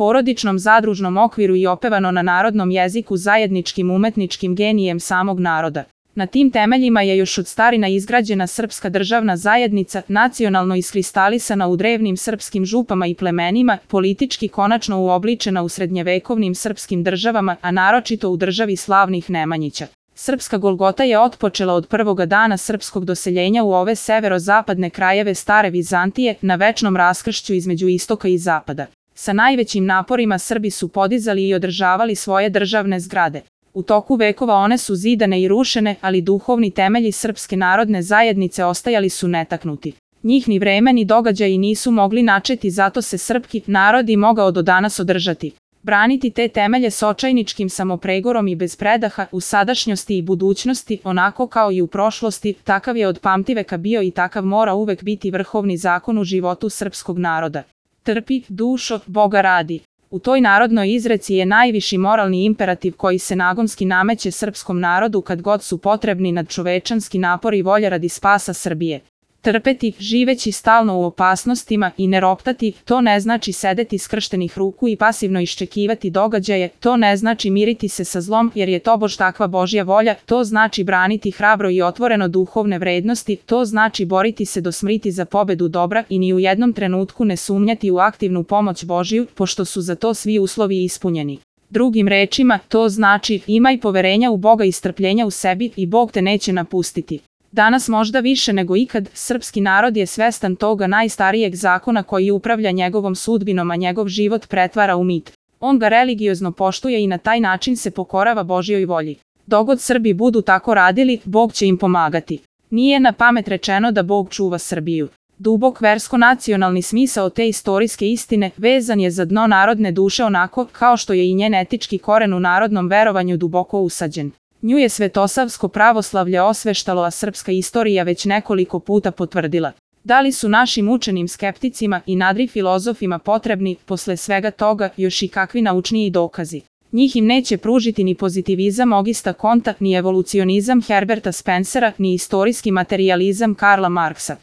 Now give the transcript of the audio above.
porodičnom zadružnom okviru i opevano na narodnom jeziku zajedničkim umetničkim genijem samog naroda. Na tim temeljima je još od starina izgrađena srpska državna zajednica, nacionalno iskristalisana u drevnim srpskim župama i plemenima, politički konačno uobličena u srednjevekovnim srpskim državama, a naročito u državi slavnih Nemanjića. Srpska Golgota je otpočela od prvoga dana srpskog doseljenja u ove severozapadne krajeve stare Vizantije, na večnom raskršću između istoka i zapada. Sa najvećim naporima Srbi su podizali i održavali svoje državne zgrade. U toku vekova one su zidane i rušene, ali duhovni temelji Srpske narodne zajednice ostajali su netaknuti. Njih ni vreme ni događaji nisu mogli načeti, zato se srpski narod i mogao do danas održati. Braniti te temelje s očajničkim samopregorom i bez predaha, u sadašnjosti i budućnosti, onako kao i u prošlosti, takav je od pamtiveka bio i takav mora uvek biti vrhovni zakon u životu srpskog naroda. Trpi, dušo, Boga radi. U toj narodnoj izreci je najviši moralni imperativ koji se nagonski nameće srpskom narodu kad god su potrebni nadčovečanski napor i volja radi spasa Srbije. Trpeti, živeći stalno u opasnostima, i ne roptati, to ne znači sedeti skrštenih ruku i pasivno iščekivati događaje, to ne znači miriti se sa zlom jer je tobož takva Božja volja, to znači braniti hrabro i otvoreno duhovne vrednosti, to znači boriti se do smrti za pobedu dobra i ni u jednom trenutku ne sumnjati u aktivnu pomoć Božju, pošto su za to svi uslovi ispunjeni. Drugim rečima, to znači imaj poverenja u Boga i strpljenja u sebi i Bog te neće napustiti. Danas možda više nego ikad, srpski narod je svestan toga najstarijeg zakona koji upravlja njegovom sudbinom, a njegov život pretvara u mit. On ga religiozno poštuje i na taj način se pokorava Božjoj volji. Dogod Srbi budu tako radili, Bog će im pomagati. Nije na pamet rečeno da Bog čuva Srbiju. Dubok versko-nacionalni smisao te istorijske istine vezan je za dno narodne duše onako kao što je i njen etički koren u narodnom verovanju duboko usađen. Nju je svetosavsko pravoslavlje osveštalo, a srpska istorija već nekoliko puta potvrdila. Da li su našim učenim skepticima i nadri filozofima potrebni, posle svega toga, još i kakvi naučniji dokazi? Njih im neće pružiti ni pozitivizam Augusta Comtea, ni evolucionizam Herberta Spencera, ni istorijski materijalizam Karla Marksa.